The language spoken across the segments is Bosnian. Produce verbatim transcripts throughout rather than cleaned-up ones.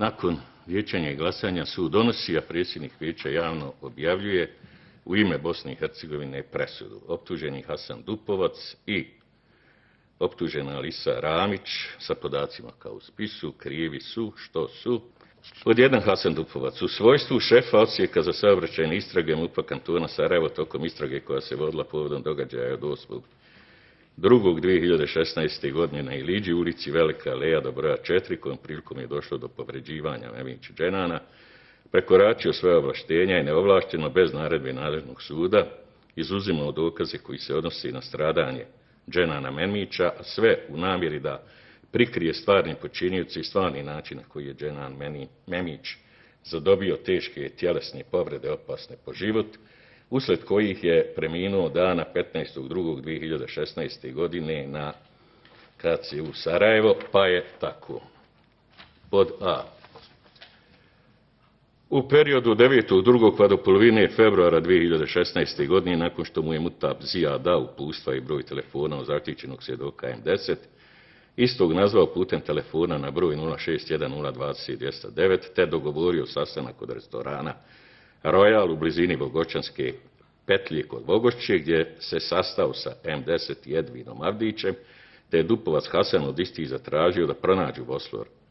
Nakon vijećanja i glasanja sud donosi, a predsjednik vijeća javno objavljuje u ime Bosne i Hercegovine presudu. Optuženi Hasan Dupovac i optužena Alisa Ramić sa podacima kao u spisu krivi su što su. Pod jedan Hasan Dupovac u svojstvu šefa odsjeka za saobraćajne istrage MUP-a kantona Sarajevo tokom istrage koja se vodila povodom događaja od osmog drugog dvije hiljade šesnaeste. godine na Iliđi, ulici Velika Aleja do broja četiri, kojom prilikom je došlo do povređivanja Memića Dženana, prekoračio svoje ovlaštenja i neovlašteno bez naredbe nadležnog suda izuzimao dokaze koji se odnosi na stradanje Dženana Memića, a sve u namjeri da prikrije stvarni počinioci i stvarni način na koji je Dženan Memić zadobio teške tjelesne povrede opasne po život, usled kojih je preminuo dana petnaestog drugog dvije hiljade šesnaeste. godine na K C U Sarajevo, pa je tako. Pod A. U periodu devetog drugog pa do polovine februara dvije hiljade šesnaeste. godine, nakon što mu je Mutab Zija dao uputstva i broj telefona od zaštićenog svjedoka M deset, istog nazvao putem telefona na broj nula šest jedan nula dvadeset dvjesto devet, te dogovorio sastanak kod restorana Royal u blizini Bogočanske petlje kod Bogošće, gdje se sastao sa M deset i Edvinom Avdićem, te je Dupovac Hasan od istih zatražio da pronađu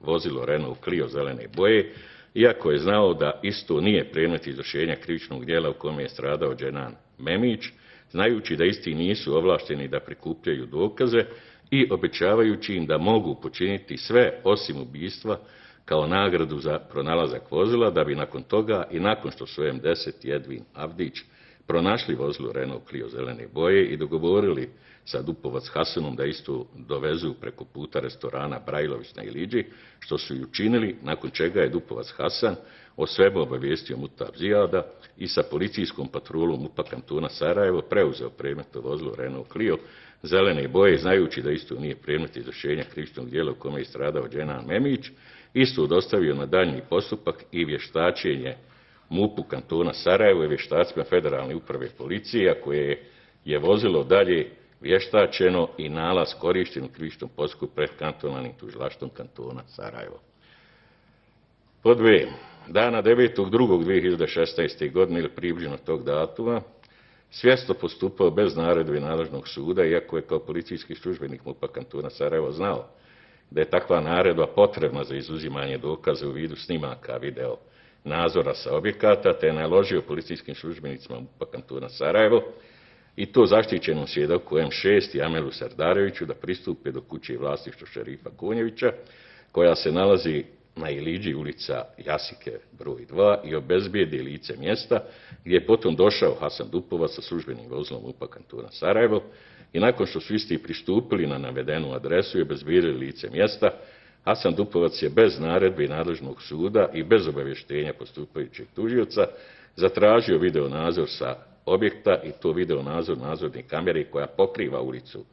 vozilo Renault Clio zelene boje, iako je znao da isto nije predmet izvršenja krivičnog djela u kome je stradao Dženan Memić, znajući da isti nisu ovlašteni da prikupljaju dokaze i obećavajući im da mogu počiniti sve osim ubistva kao nagradu za pronalazak vozila, da bi nakon toga i nakon što su M deset i Edvin Avdić pronašli vozilo Renault Clio zelene boje i dogovorili sa Dupovac Hasanom da isto dovezu preko puta restorana Brajlović na Iliđi, što su i učinili, nakon čega je Dupovac Hasan o svemu obavijestio Mutab Zijada i sa policijskom patrolom MUP-a kantona Sarajevo preuzeo predmetno vozilo Renault Clio zelene boje, znajući da isto nije predmet izvršenja krivičnog djela u kome je stradao Dženan Memić, isto dostavio na daljnji postupak i vještačenje MUP-u kantona Sarajevo i vještacima Federalne uprave policije, a koje je vozilo dalje vještačeno i nalaz korišten u krivičnom postupku pred kantonalnim tužilaštvom kantona Sarajevo. Pod B. Dana devetog drugog dvije hiljade šesnaeste. godine ili približno tog datuma, svjesno postupao bez naredbe nadležnog suda, iako je kao policijski službenik MUP-a kantona Sarajevo znao da je takva naredba potrebna za izuzimanje dokaza u vidu snimaka video nadzora sa objekata, te je naložio policijskim službenicima MUP-a kantona Sarajevo i to zaštićenom svjedoku M šest i Amelu Sardareviću da pristupe do kuće vlasništva šerifa Konjevića, koja se nalazi na Iliđi, ulica Jasike broj dva, i obezbijedi lice mjesta, gdje je potom došao Hasan Dupovac sa službenim vozilom MUP-a kantona Sarajevo i nakon što su isti pristupili na navedenu adresu i obezbijedili lice mjesta, Hasan Dupovac je bez naredbe nadležnog suda i bez obavještenja postupajućeg tužioca zatražio video nadzor sa objekta, i to video nadzor nadzorne kamere koja pokriva ulicu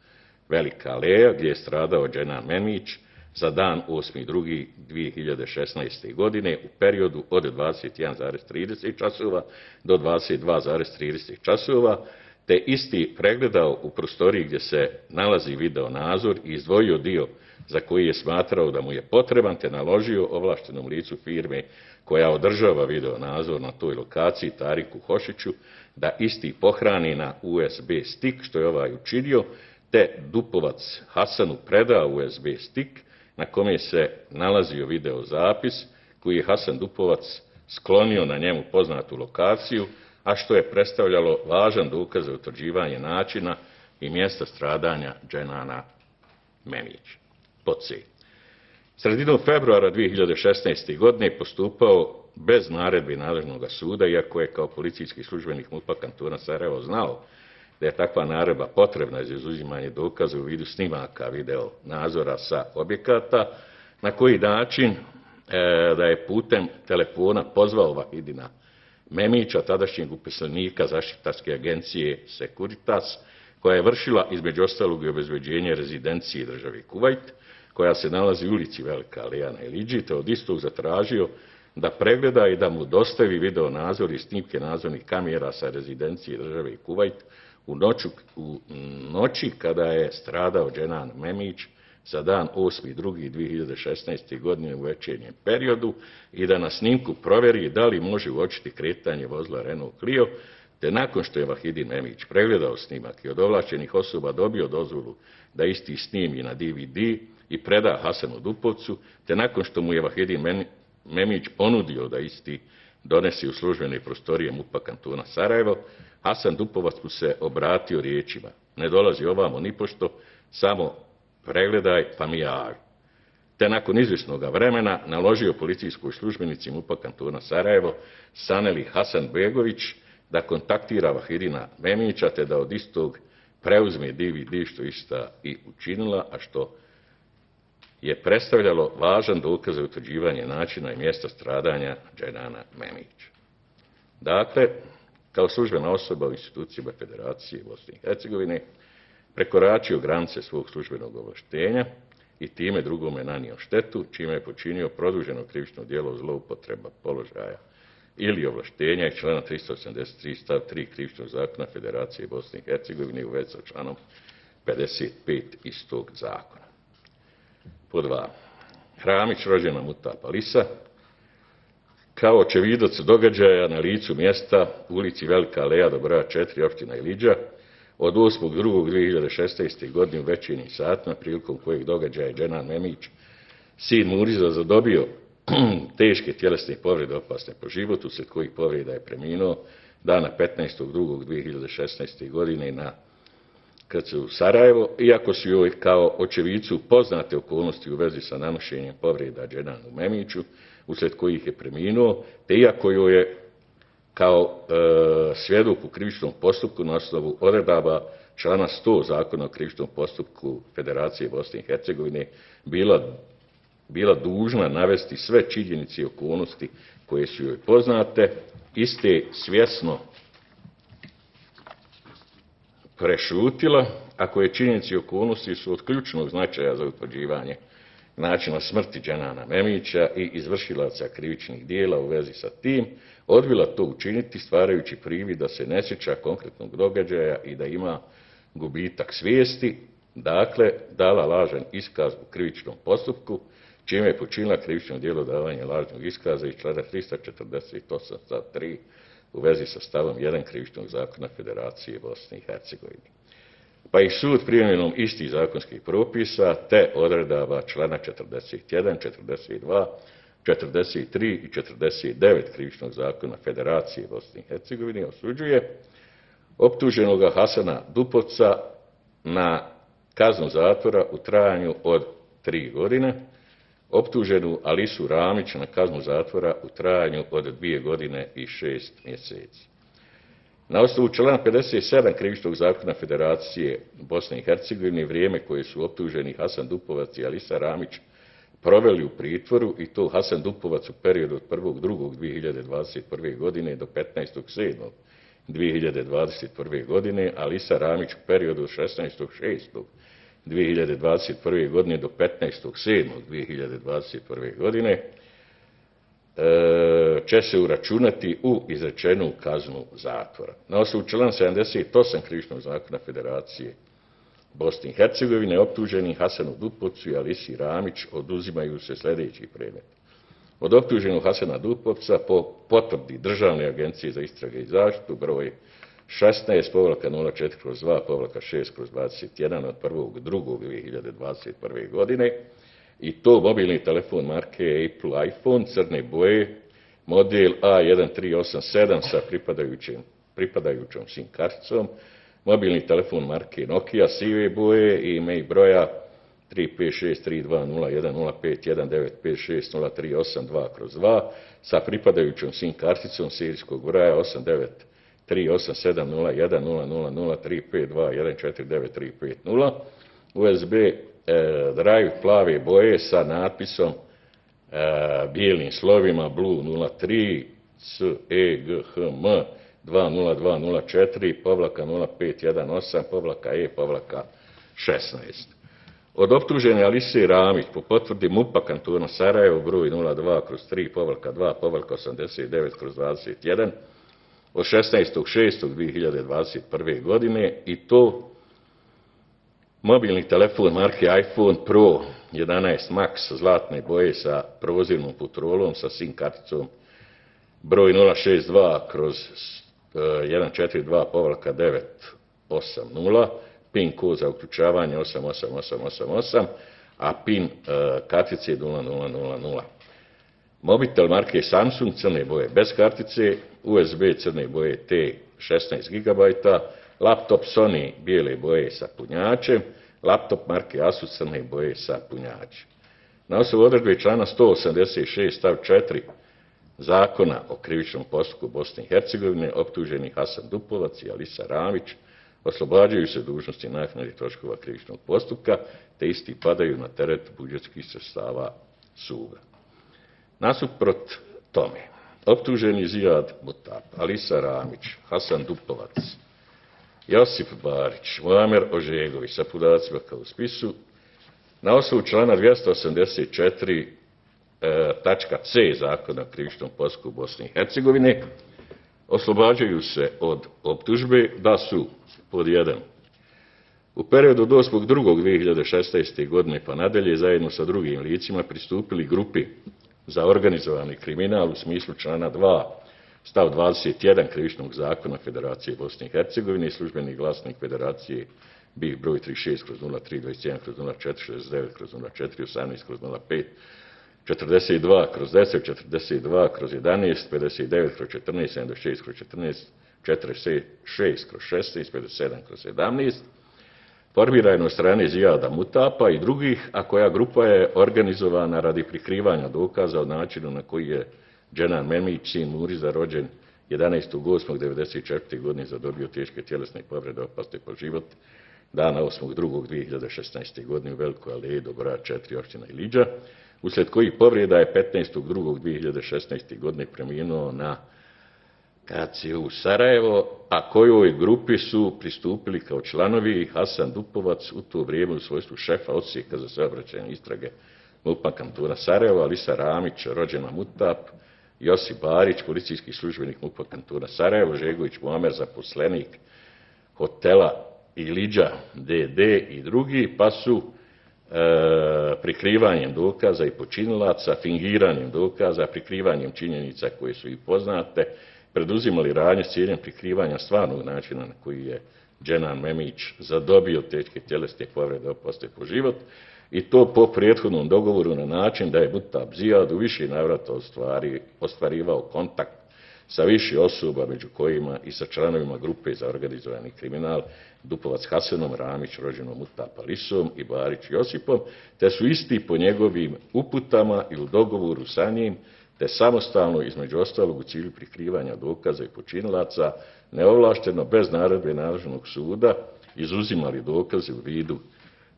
Velika Aleja gdje je stradao Dženan Memić za dan osmi drugi dvije hiljade šesnaeste. godine u periodu od dvadeset jedan zarez trideset časova do dvadeset dva zarez trideset časova, te isti pregledao u prostoriji gdje se nalazi video nadzor i izdvojio dio za koji je smatrao da mu je potreban, te naložio ovlaštenom licu firme koja održava video nadzor na toj lokaciji, Tariku Hošiću, da isti pohrani na U S B stik, što je ovaj učinio, te Dupovac Hasanu predao U S B stik na kome se nalazio video zapis koji je Hasan Dupovac sklonio na njemu poznatu lokaciju, a što je predstavljalo važan dokaz za utvrđivanje načina i mjesta stradanja Dženana Memića. Pod C. Sredinom februara dvije hiljade šesnaeste. godine postupao bez naredbe nadležnog suda, iako je kao policijski službenik MUP-a kantona Sarajevo znao da je takva naredba potrebna za izuzimanje dokaza u vidu snimaka video nadzora sa objekata, na koji način e, da je putem telefona pozvao Vahidina Memića, tadašnjeg uposlenika zaštitarske agencije Securitas, koja je vršila između ostalog i obezbeđenje rezidencije države Kuvajt, koja se nalazi u ulici Velika Aleja na Iliđi, te od istog zatražio da pregleda i da mu dostavi video nadzor i snimke nadzornih kamera sa rezidencije države Kuvajt u, noću, u noći kada je stradao Dženan Memić za dan osmi drugi dvije hiljade šesnaeste. godine u večernjem periodu i da na snimku provjeri da li može uočiti kretanje vozila Renault Clio, te nakon što je Vahidin Memić pregledao snimak i od ovlaštenih osoba dobio dozvolu da isti snimi na D V D i preda Hasanu Dupovcu, te nakon što mu je Vahidin Memić ponudio da isti donesi u službene prostorije MUP-a kantona Sarajevo, Hasan Dupovac mu se obratio riječima: ne dolazi ovamo nipošto, samo pregledaj pa mi javi. Te nakon izvjesnog vremena naložio policijskoj službenici MUP-a kantona Sarajevo Saneli Hasanbegović da kontaktira Vahidina Memića te da od istog preuzme D V D, što ista i učinila, a što je predstavljalo važan dokaz za utvrđivanje načina i mjesta stradanja Dženana Memića. Dakle, kao službena osoba u institucijama Federacije Bosne i Hercegovine prekoračio granice svog službenog ovlaštenja i time drugome nanio štetu, čime je počinio produženo krivično djelo zloupotreba položaja ili ovlaštenja iz člana tristo osamdeset tri stav tri Krivičnog zakona Federacije Bosne i Hercegovine u vezi sa članom pedeset pet istog zakona. Po dva. Ramić, rođena Mutapa Lisa, kao očevidac događaja na licu mjesta u ulici Velika Aleja do broja četiri opština Ilidža od osmog drugog dvije hiljade šesnaeste. godine u večernjim satima, prilikom kojeg događaja je Dženan Memić, sin Muriza, zadobio teške tjelesne povrede opasne po životu, uslijed kojih povreda je preminuo dana petnaestog drugog dvije hiljade šesnaeste. godine na K C u Sarajevo, iako su joj kao očevicu poznate okolnosti u vezi sa nanošenjem povreda Dženanu Memiću, uslijed kojih je preminuo, te iako joj je kao e, svjedok u krivičnom postupku na osnovu odredaba člana sto Zakona o krivičnom postupku Federacije Bosne i Hercegovine bila, bila dužna navesti sve činjenice i okolnosti koje su joj poznate, iste svjesno prešutila, ako je činjenice i okolnosti su od ključnog značaja za utvrđivanje načina smrti Dženana Memića i izvršilaca krivičnih dijela u vezi sa tim, odbila to učiniti stvarajući privid da se ne sjeća konkretnog događaja i da ima gubitak svijesti, dakle dala lažan iskaz u krivičnom postupku, čime je počinila krivično djelo davanja lažnog iskaza iz člana tristo četrdeset osam stav tri u vezi sa stavom jedan Krivičnog zakona Federacije Bosne i Hercegovine. Pa i sud primjenom istih zakonskih propisa te odredaba člana četrdeset jedan, četrdeset dva, četrdeset tri i četrdeset devet Krivičnog zakona Federacije Bosne i Hercegovine osuđuje optuženoga Hasana Dupovca na kaznu zatvora u trajanju od tri godine, optuženu Alisu Ramić na kaznu zatvora u trajanju od dvije godine i šest mjeseci. Na osnovu člana pedeset sedam Krivičnog zakona Federacije Bosne i Hercegovine vrijeme koje su optuženi Hasan Dupovac i Alisa Ramić proveli u pritvoru, i to Hasan Dupovac u periodu od prvog drugog dvije hiljade dvadeset prve. godine do petnaestog sedmog dvije hiljade dvadeset prve. godine, Alisa Ramić u periodu od šesnaestog šestog dvije hiljade dvadeset prve. godine do petnaestog sedmog dvije hiljade dvadeset prve. godine, će se uračunati u izrečenu kaznu zatvora. Na osnovu člana sedamdeset osam Krivičnog zakona Federacije Bosne i Hercegovine optuženi Hasanu Dupovcu i Alisi Ramić oduzimaju se sljedeći predmet. Od optuženog Hasana Dupovca po potvrdi Državne agencije za istrage i zaštitu broj šesnaest povlaka nula četiri kroz dva povlaka šest kroz dvadeset jedan od prvog drugog dvije hiljade dvadeset prve. godine, i to mobilni telefon marke Apple iPhone crne boje, model A jedan tri osam sedam sa pripadajućim, pripadajućom SIM karticom, mobilni telefon marke Nokia sive boje i email broja tri pet šest tri dva nula jedan nula pet jedan devet pet šest nula tri osam dva kroz dva sa pripadajućom SIM karticom serijskog broja osam devet tri osam sedam nula jedan nula nula nula tri pet dva jedan četiri devet tri pet nula, U S B drive plave boje sa natpisom e, bijelim slovima Blue nula tri C E G H M dva nula dva nula četiri povlaka nula pet jedan osam povlaka E povlaka šesnaest. Od optužene Alise Ramić po potvrdi MUP-a kantona Sarajevo broj nula dva kroz tri povlaka dva povlaka osamdeset devet kroz dvadeset jedan od šesnaestog šestog dvije hiljade dvadeset prve. godine, i to mobilni telefon marke iPhone Pro jedanaest Max zlatne boje sa prozirnom futrolom sa SIM karticom broj nula šest dva kroz jedan četiri dva povlaka devet osam nula, PIN kod za uključavanje osam osam osam osam osam, a PIN kartice nula nula nula nula. Mobitel marke Samsung crne boje bez kartice, U S B crne boje T šesnaest gigabajta, laptop Sony bijele boje sa punjačem, laptop marke Asus crne boje sa punjačem. Na osnovu odredbe člana sto osamdeset šest stav četiri Zakona o krivičnom postupku Bosne i Hercegovine optuženi Hasan Dupovac i Alisa Ramić oslobađaju se dužnosti naknade troškova krivičnog postupka, te isti padaju na teret budžetskih sredstava suda. Nasuprot tome, optuženi Zijad Mutap, Alisa Ramić, Hasan Dupovac, Josip Barić, Muamer Ožegović sa podacima kao u spisu, na osnovu člana dvjesto osamdeset četiri tačka C Zakona o krivičnom postupku Bosne i Hercegovine oslobađaju se od optužbe da su pod jedan u periodu od osmog drugog dvije hiljade šesnaeste. godine pa nadalje zajedno sa drugim licima pristupili grupi za organizovani kriminal u smislu člana dva stav dvadeset jedan Krivičnog zakona Federacije Bosne i Hercegovine i službeni glasnik Federacije B I H broj trideset šest kroz nula tri dvadeset jedan kroz nula četiri šezdeset devet kroz nula četiri osamnaest kroz nula pet četrdeset dva kroz deset četrdeset dva kroz jedanaest pedeset devet kroz četrnaest sedamdeset šest kroz četrnaest četrdeset šest kroz šesnaest pedeset sedam kroz sedamnaest formirano od strane Zijada Mutapa i drugih, a koja grupa je organizovana radi prikrivanja dokaza o načinu na koji je Dženan Memić, sin Muriza, rođen jedanaestog osmog devedeset četvrte. godine zadobio teške tjelesne povrede opasne po život dana osmog drugog dvije hiljade šesnaeste. godine u Velikoj aleji do broja četiri općina Iliđa, uslijed kojih povreda je petnaestog drugog dvije hiljade šesnaeste. godine preminuo na K C U Sarajevo, a kojoj grupi su pristupili kao članovi Hasan Dupovac u to vrijeme u svojstvu šefa odsjeka za saobraćajne istrage MUP-a kantona Sarajevo, Alisa Ramić, rođena Mutap, Josip Barić, policijski službenik MUP-a kantona Sarajevo, Žegović Muamer, zaposlenik hotela Iliđa D D i drugi, pa su e, prikrivanjem dokaza i počinilaca, fingiranjem dokaza, prikrivanjem činjenica koje su i poznate, preduzimali radnje s ciljem prikrivanja stvarnog načina na koji je Dženan Memić zadobio teške tjelesne povrede opasne po život i to po prethodnom dogovoru na način da je Mutap Zijad u više navrata ostvari, ostvarivao kontakt sa više osoba, među kojima i sa članovima grupe za organizovani kriminal Dupovac Hasanom, Ramić, rođenom Mutapa Alisom i Barić Josipom, te su isti po njegovim uputama i u dogovoru sa njim te samostalno, između ostalog u cilju prikrivanja dokaza i počinilaca, neovlašteno, bez naredbe nadležnog suda, izuzimali dokaze u vidu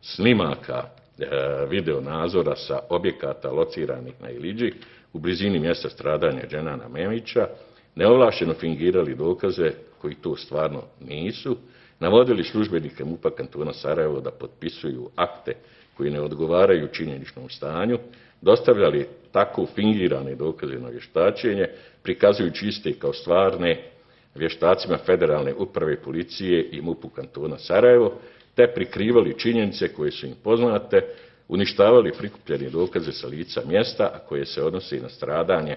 snimaka e, video nadzora sa objekata lociranih na Iliđi u blizini mjesta stradanja Dženana Memića, neovlašteno fingirali dokaze koji to stvarno nisu, navodili službenike MUP-a kantona Sarajevo da potpisuju akte koji ne odgovaraju činjeničnom stanju, dostavljali tako fingirane dokaze na vještačenje, prikazujući iste kao stvarne vještacima Federalne uprave policije i MUP-u kantona Sarajevo, te prikrivali činjenice koje su im poznate, uništavali prikupljene dokaze sa lica mjesta, a koje se odnose na stradanje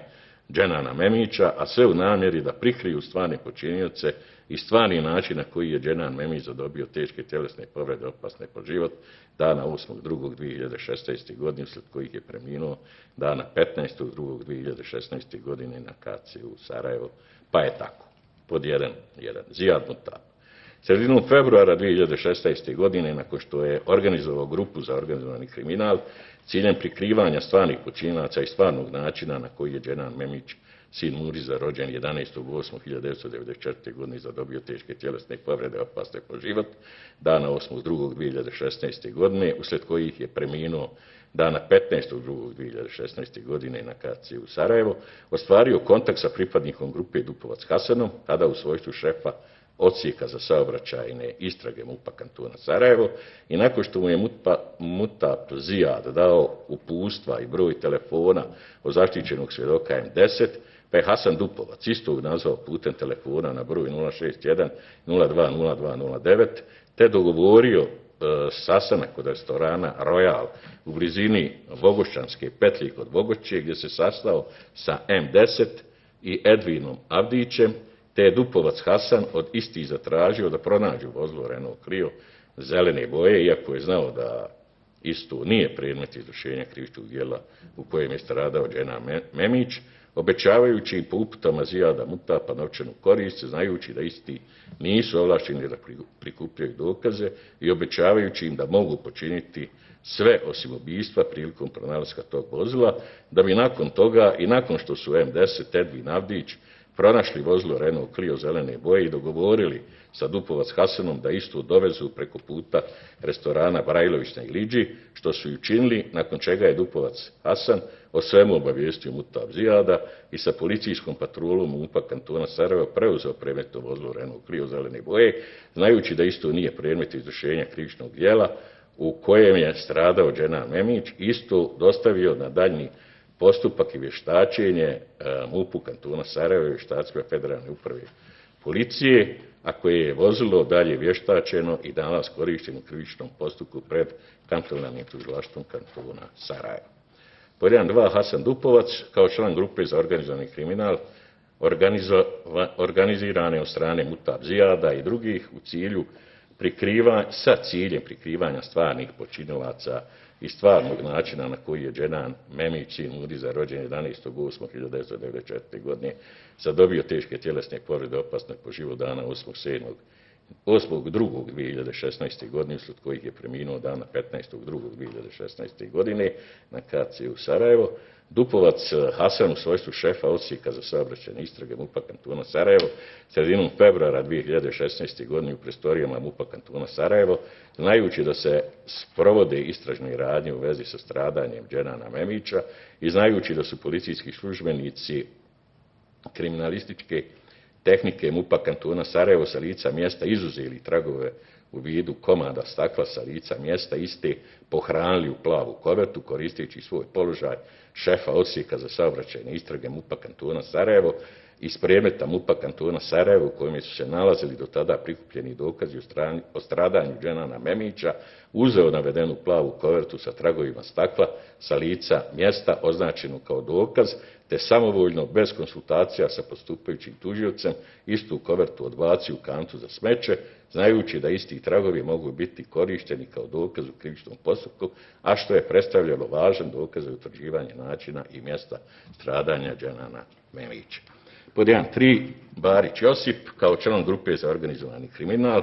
Dženana Memića, a sve u namjeri da prikriju stvarne počinioce i stvarni način na koji je Dženan Memić zadobio teške tjelesne povrede opasne po život dana osmog drugog dvije hiljade šesnaeste. godine, uslijed kojih je preminuo dana petnaestog drugog dvije hiljade šesnaeste. godine na K C U Sarajevo. Pa je tako. Pod jedan, jedan. Zijad Mutap. Sredinom februara dvije hiljade šesnaeste. godine, nakon što je organizovao grupu za organizovani kriminal, ciljem prikrivanja stvarnih počinilaca i stvarnog načina na koji je Dženan Memić, sin Muriza, rođen jedanaestog osmog hiljade devetsto devedeset četvrte. godine, zadobio teške tjelesne povrede opasne po život dana osmog drugog dvije hiljade šesnaeste. godine, uslijed kojih je preminuo dana petnaestog drugog dvije hiljade šesnaeste. godine na K C U Sarajevo, ostvario kontakt sa pripadnikom grupe Dupovac Hasanom, tada u svojstvu šefa odsjeka za saobraćajne istrage MUP-a kantona Sarajevo, i nakon što mu je Mutap Zijad dao uputstva i broj telefona od zaštićenog svjedoka M deset, pa je Hasan Dupovac istog nazvao putem telefona na broj nula šest jedan nula dva nula dva nula devet, te dogovorio sastanak kod restorana Royal u blizini Bogošćanske petlje kod Bogošće, gdje se sastao sa em deset i Edvinom Avdićem, te je Dupovac Hasan od istih zatražio da pronađu vozilo Renault Clio zelene boje, iako je znao da isto nije predmet izvršenja krivičnog djela u kojem je stradao Dženan Memić, obećavajući im po uputama Zijada Mutapa novčanu korist, znajući da isti nisu ovlašteni da prikupljaju dokaze i obećavajući im da mogu počiniti sve osim ubijstva prilikom pronalaska tog vozila, da bi nakon toga i nakon što su em deset Edvin Avdić pronašli vozilo Renault Clio zelene boje i dogovorili sa Dupovac Hasanom da istu dovezu preko puta restorana Brajlović na Iliđi, što su i učinili, nakon čega je Dupovac Hasan o svemu obavijestio Mutab Zijada i sa policijskom patrolom MUP-a kantona Sarajevo preuzeo predmetno vozilo Renault Clio zelene boje, znajući da isto nije predmet izvršenja krivičnog djela u kojem je stradao Dženan Memić, isto dostavio na daljnji postupak i vještačenje MUP-u kantona Sarajevo i vještacima Federalne uprave policije, a koje je vozilo dalje vještačeno i danas korišteno u krivičnom postupku pred kantonalnim tužilaštvom kantona Sarajevo. Pod jedan dva Hasan Dupovac, kao član grupe za organizovani kriminal, organizirane od strane Mutab Zijada i drugih u cilju prikrivanja, sa ciljem prikrivanja stvarnih počinilaca i stvarnog načina na koji je Dženan Memić, sin Mudiza, rođen jedanaestog osmog hiljadu devetsto devedeset četvrte. godine, zadobio teške tjelesne povrede opasne po život dana osmog drugog dvije hiljade šesnaeste. godine, usled kojih je preminuo dana petnaestog drugog dvije hiljade šesnaeste. godine na ka ce u Sarajevo. Dupovac Hasan u svojstvu šefa odsjeka za saobraćajne istrage MUP-a kantona Sarajevo sredinom februara dvije hiljade šesnaeste. godine u prostorijama MUP-a kantona Sarajevo, znajući da se sprovode istražne radnje u vezi sa stradanjem Dženana Memića i znajući da su policijski službenici kriminalističke tehnike MUP-a kantona Sarajevo sa lica mjesta izuzeli tragove u vidu komada stakla sa lica mjesta, iste pohranili u plavu kovertu koristeći svoj položaj šefa odsjeka za saobraćajne istrage MUP-a kantona Sarajevo iz predmeta MUP-a kantona Sarajevo u kojem su se nalazili do tada prikupljeni dokazi o stradanju Dženana Memića, uzeo navedenu plavu kovertu sa tragovima stakla sa lica mjesta označenu kao dokaz, te samovoljno, bez konsultacija sa postupajućim tužiocem, istu kovertu odbacio u kantu za smeće, znajući da isti tragovi mogu biti korišteni kao dokaz u krivičnom postupku, a što je predstavljalo važan dokaz za utvrđivanje načina i mjesta stradanja Dženana Memića. Pod jedan tri Barić Josip, kao član grupe za organizovani kriminal,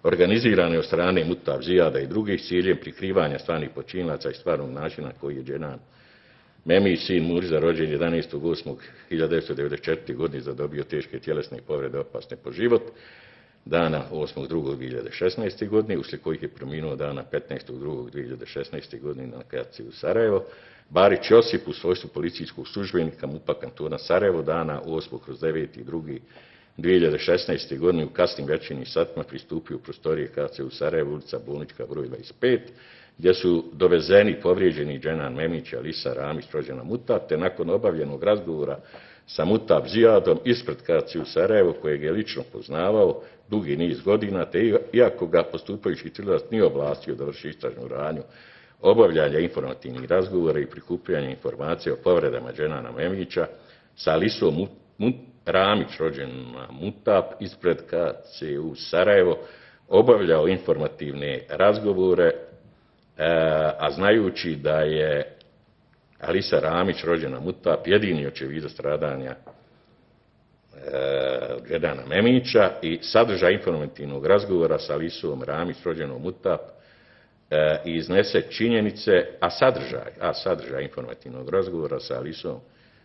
organizirane od strane Mutab Zijada i drugih s ciljem prikrivanja stvarnih počinilaca i stvarnog načina koji je Dženan Memić, sin Muriza, rođen jedanaestog osmog hiljadu devetsto devedeset četvrte. godine, zadobio teške tjelesne povrede opasne po život dana osmog drugog dvije hiljade šesnaeste. godine, uslijed kojih je preminuo dana petnaestog drugog dvije hiljade šesnaeste. godine na ka ce u Sarajevo. Barić Josip u svojstvu policijskog službenika MUP-a kantona Sarajevo dana osmog kroz deveti drugi dvije hiljade šesnaeste. godine u kasnim večernjim satima pristupio u prostorije ka ce u Sarajevo, ulica Bolnička broj dvadeset pet, gdje su dovezeni povrijeđeni Dženan Memić i Alisa Ramić, rođena Mutap, te nakon obavljenog razgovora sa Mutab Zijadom ispred ka ce u Sarajevo, kojeg je lično poznavao dugi niz godina, te iako ga postupajući tužilac nije ovlastio da vrši istražnu radnju obavljanja informativnih razgovora i prikupljanja informacija o povredama Dženana Memića, sa Alisom Ramić, rođena Mutap, ispred ka ce u Sarajevo obavljao informativne razgovore, a znajući da je Alisa Ramić, rođena Mutap, jedini očevid stradanja Dženana Memića i sadržaj informativnog razgovora sa Alisom Ramić, rođenom Mutap, i iznese činjenice, a sadržaj, a sadržaj informativnog razgovora sa Alisom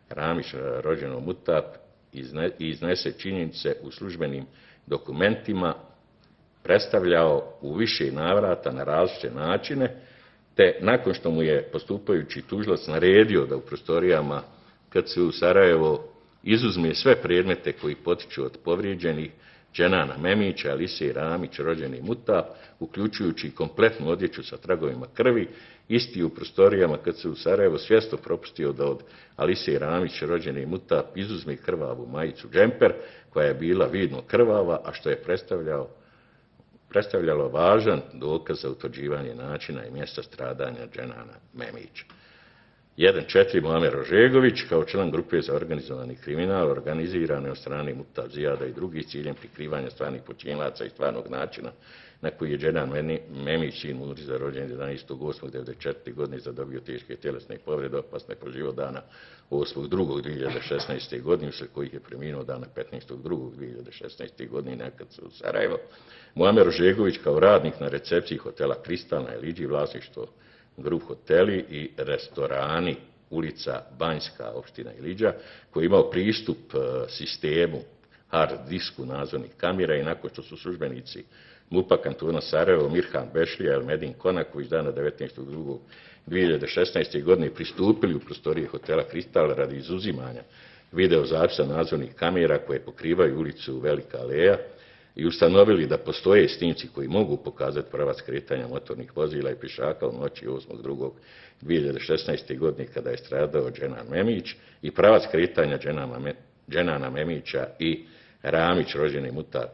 Ramić, rođenom Mutap, izne, iznese činjenice u službenim dokumentima, predstavljao u više navrata na različite načine, te nakon što mu je postupajući tužilac naredio da u prostorijama ka ce u Sarajevo izuzme sve predmete koji potiču od povrijeđenih Dženana Memića, Alise Ramić, rođeni Mutap, uključujući kompletnu odjeću sa tragovima krvi, isti u prostorijama ka ce u Sarajevo svjesno propustio da od Alise Ramić, rođeni Mutap, izuzme krvavu majicu džemper, koja je bila vidno krvava, a što je predstavljao predstavljalo važan dokaz za utvrđivanje načina i mjesta stradanja Dženana Memića. jedan četiri Muamer Ožegović kao član grupe za organizovani kriminal organizirane od strane Mutab Zijada i drugih ciljem prikrivanja stvarnih počinilaca i stvarnog načina na koji je Dženan Memić, sin Muriza, rođen jedanaestog osmog devedeset četvrte. godine, zadobio teške tjelesne povrede opasne po život dana osmog drugog dvije hiljade šesnaeste. godine, uslijed kojih je preminuo dana petnaestog drugog dvije hiljade šesnaeste. godine nekad u Sarajevo. Muamer Ožegović kao radnik na recepciji hotela Kristal na Eliđi, vlasništvo Grup hoteli i restorani, ulica Banjska, opština Iliđa, koji je imao pristup sistemu hard disku nadzornih kamera i nakon što su službenici MUP-a kantona Sarajevo Mirhan Bešlija i Elmedin Konaković dana devetnaestog drugog dvije hiljade šesnaeste. godine pristupili u prostorije hotela Kristal radi izuzimanja videozapisa nadzornih kamera koje pokrivaju ulicu Velika Aleja i ustanovili da postoje snimci koji mogu pokazati pravac kretanja motornih vozila i pješaka u noći osmog drugog dvije hiljade šesnaeste. godine kada je stradao Dženan Memić i pravac kretanja Dženana Memića i Ramić, rođeni Mutab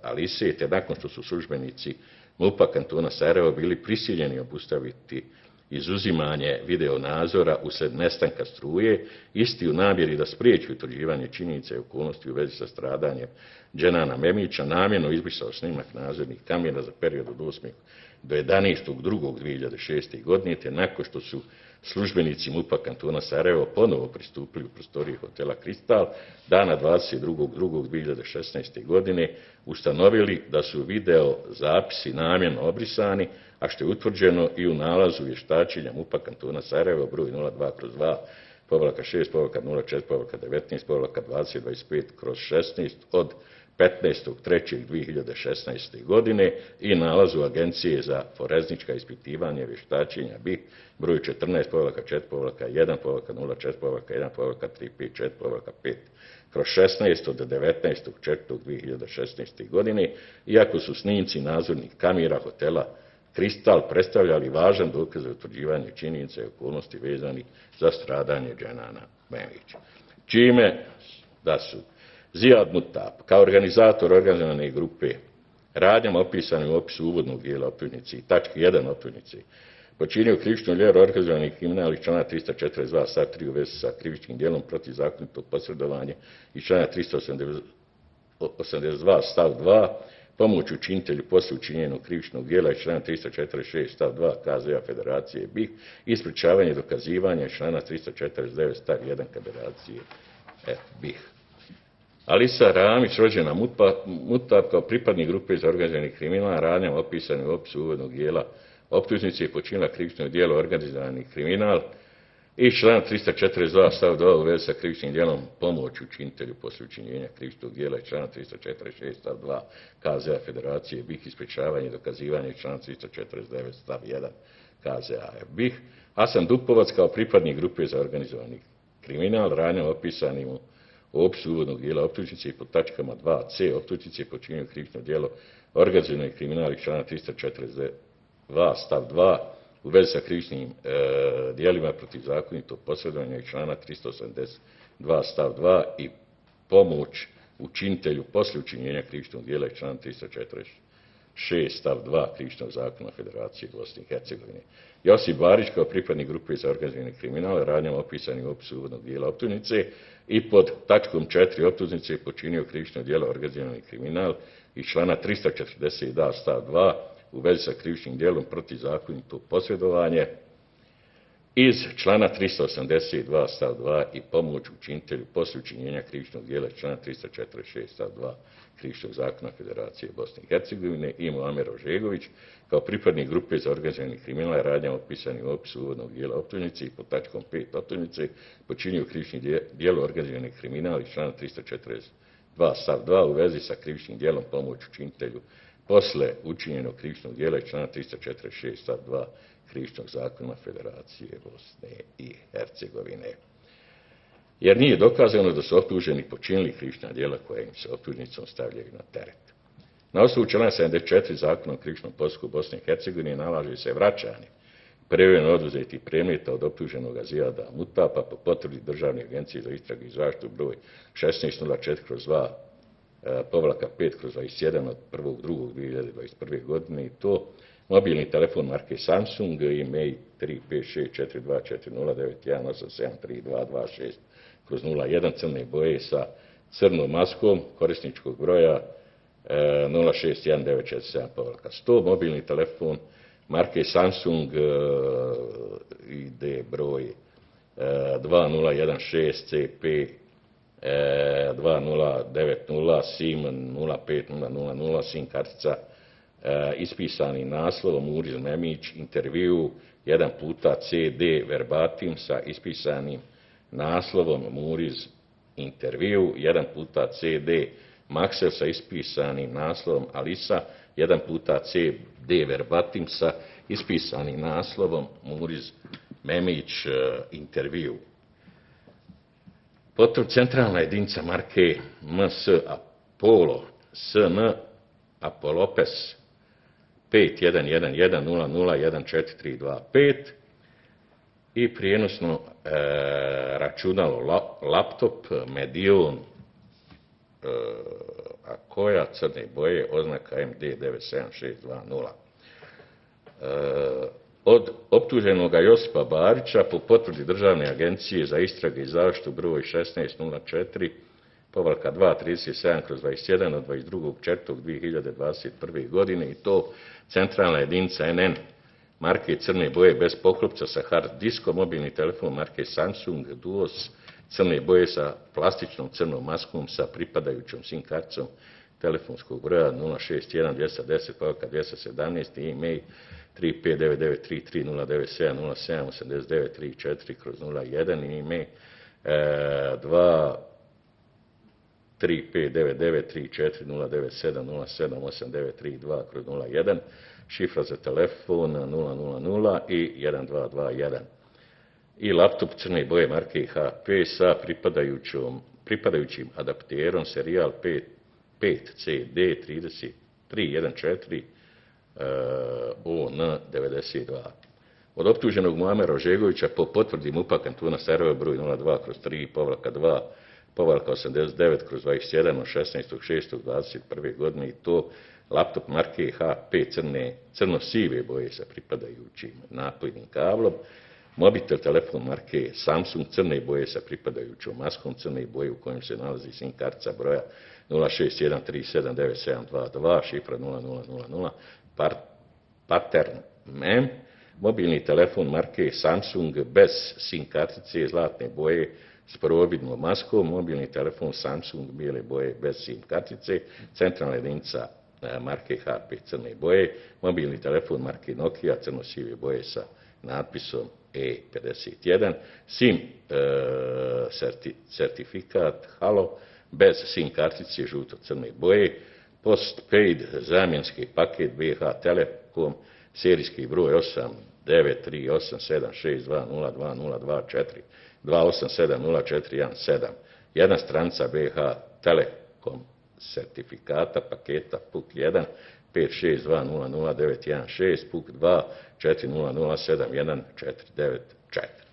Alise, te nakon što su službenici MUP-a kantona Sarajevo bili prisiljeni obustaviti izuzimanje videonadzora usred nestanka struje, isti u namjeri da spriječi utvrđivanje činjenica i okolnosti u vezi sa stradanjem Dženana Memića, namjerno izbrisao snimak nadzornih kamera za period od osmog do jedanaestog drugog dvije hiljade šeste. godine, te nakon što su službenici MUP-a kantona Sarajevo ponovo pristupili u prostorije hotela Kristal dana dvadeset drugog drugog dvije hiljade šesnaeste. godine, ustanovili da su video zapisi namjerno obrisani, a što je utvrđeno i u nalazu vještačenja MUP-a kantona Sarajevo broj nula dva kroz dva povlaka šest povlaka nula četiri povlaka devetnaest povlaka dvadeset dvadeset pet kroz šesnaest od petnaestog trećeg dvije hiljade šesnaeste. godine i nalazu Agencije za forenzička ispitivanja i vještačenja B I H broj četrnaest povlaka četiri povlaka jedan povlaka nula četiri povlaka jedan povlaka tri pet četiri povlaka pet kroz šesnaest od devetnaestog četvrtog dvije hiljade šesnaeste. godine, iako su snimci nadzornih kamera hotela Kristal predstavljali važan dokaz za utvrđivanje činjenica i okolnosti vezani za stradanje Dženana Memića. Čime da su Zijad Mutab kao organizator organizovane grupe radnjama opisanim u opisu uvodnog dijela optužnice i tačke jedan optužnice počinio krivično djelo organizovani kriminal iz člana tristo četrdeset dva stav tri u vezi sa krivičnim djelom protivzakonitog posredovanja i člana tristo osamdeset dva stav dva pomoć učinitelju poslije učinjenog krivičnog djela iz člana tristo četrdeset šest stav dva K Z A Federacije B I H i sprečavanje dokazivanja iz člana tristo četrdeset devet stav jedan Federacije F B I H. Alisa Ramić, rođena Mutab, kao pripadnik grupe za organizirani kriminal, radnjama opisanim u opisu uvodnog dijela optužnice je počinila krivično djelo organizirani kriminal i član tristo četrdeset dva stav dva u vezi sa krivičnim djelom pomoć učinitelju poslije učinjenja krivičnog djela i člana tristo četrdeset šest stav dva K Z A Federacije B I H i sprečavanje dokazivanja i člana tristo četrdeset devet stav jedan K Z A F B I H. Hasan Dupovac kao pripadnik grupe za organizirani kriminal, radnjama opisanim u u opisu uvodnog dijela optužnice i pod tačkama dva C optužnice počinio krivično djelo organizirani kriminal i člana tristo četrdeset dva stav dva u vezi sa krivičnim e, djelima protiv zakonitog posredovanja i člana tristo osamdeset dva stav dva i pomoć učinitelju poslije učinjenja krivičnog djela i člana tristo četrdeset šest stav dva Krivičnog zakona Federacije Bosne i Hercegovine. Josip Barić kao pripadnik grupe za organizirani kriminal, radnjama opisanim u opisu uvodnog dijela optužnice i pod tačkom četiri optužnice počinio krivično djelo organizirani kriminal i člana tristo četrdeset dva stav dva u vezi sa krivičnim djelom protivzakonitog posredovanja iz člana tristo osamdeset dva stav dva i pomoć učinitelju poslije učinjenja krivičnog djela iz člana tristo četrdeset šest stav dva Krivičnog zakona Federacije Bosne i Hercegovine i Muamer Ožegović kao pripadnik grupe za organizirani kriminal, radnjama opisanim u opisu uvodnog dijela optužnice i pod tačkom pet optužnice počinio krivični djelo organizirani kriminal iz člana tristo četrdeset dva stav dva u vezi sa krivičnim djelom pomoć učinitelju posle učinjenog krivičnog djela iz člana tristo četrdeset šest stav dva Krivičnog zakona Federacije Bosne i Hercegovine. Jer nije dokazano da su optuženi počinili krivična djela koja im se optužnicom stavljaju na teret. Na osnovu člana sedamdeset četiri Zakona o krivičnom postupku Bosne i Hercegovine nalaže se vraćanje privremeno oduzetih predmeta od optuženog Zijada Mutaba po potvrdi Državne agencije za istragu i zaštitu broj šesnaest nula četiri kroz dva povlaka pet kroz dvadeset jedan od prvog drugog dvije hiljade dvadeset prve. godine i to mobilni telefon marke Samsung, e-mail tri pet šest četiri dva četiri nula devet jedan osam sedam tri dva dva šest kroz nula jedan, crne boje sa crnom maskom, korisničkog broja nula šest jedan devet četiri sedam povlaka sto, mobilni telefon marke Samsung, ide broj dva nula jedan šest C P dva nula devet nula, SIM nula pet nula nula nula, SIM kartica ispisani naslovom Muriz Memić, intervju jedan puta C D verbatim sa ispisanim naslovom Muriz intervju, jedan puta C D Maksel sa ispisanim naslovom Alisa, jedan puta C D verbatim sa ispisanim naslovom Muriz Memić intervju. Potom centralna jedinica marke M S Apollo, S N Apolopes pet jedan jedan jedan nula nula jedan četiri tri dva pet i prijenosno e, računalo la, laptop Medion, e, a koja crne boje, oznaka M D devet sedam šest dva nula. E, od optuženoga Josipa Barića po potvrdi Državne agencije za istrage i zaštitu broj šesnaest nula četiri povlaka dva trideset sedam kroz dvadeset jedan od dvadeset drugog četvrtog dvije hiljade dvadeset prve. godine i to centralna jedinica N N marke crne boje bez poklopca sa hard diskom, mobilni telefon marke Samsung Duos crne boje sa plastičnom crnom maskom sa pripadajućom SIM karticom telefonskog broja nula šest jedan dvjesto deset povlaka dvjesto sedamnaest i e-mail tri pet devet devet tri tri nula devet sedam nula sedam osam devet tri četiri kroz nula jedan i e-mail dva tri pet devet devet tri četiri nula devet sedam nula sedam osam devet tri dva kroz nula jedan, šifra za telefon nula nula nula i jedan dva dva jedan. I laptop crne boje marke H P sa pripadajućom, pripadajućim adapterom serijal pet C D trideset tri jedan četiri O N devedeset dva. Od optuženog Muamera Ožegovića po potvrdi MUP-a kantona Sarajevo broj nula dva kroz tri povlaka dva povlaka osamdeset devet kroz dvadeset jedan od šesnaestog šestog dvadeset prve. godine i to laptop marke H P crne, crno-sive boje sa pripadajućim napojnim kablom, mobitel telefon marke Samsung crne boje sa pripadajućom maskom crne boje u kojem se nalazi SIM kartica broja nula šest jedan tri sedam devet sedam dva dva, šifra nula nula nula nula, par, pattern mem, mobilni telefon marke Samsung bez SIM kartice zlatne boje s probidnom maskom, mobilni telefon Samsung bijele boje bez SIM kartice, centralna jedinica marke H P crne boje, mobilni telefon marke Nokia crno-sive boje sa natpisom E pedeset jedan, SIM e, certi, certifikat Halo bez SIM kartice žuto-crne boje, postpaid zamjenski paket B H Telekom, serijski broj osam devet tri osam sedam šest dva nula dva nula dva četiri dva osam sedam nula četiri jedan sedam, jedna stranica B H Telekom certifikata paketa P U K jedan pet šest dva nula nula devet jedan šest, P U K dva četiri nula nula sedam jedan četiri devet četiri.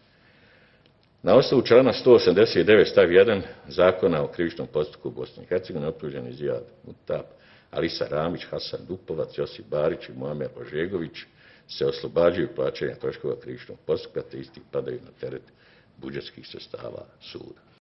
Na osnovu člana sto osamdeset devet stav jedan Zakona o krivičnom postupku u Bosni i Hercegovini optuženi Zijad Mutap, Alisa Ramić, Hasan Dupovac, Josip Barić i Muamer Ožegović se oslobađaju plaćanja troškova krivičnog postupka te isti padaju na teret budžetskih sredstava suda.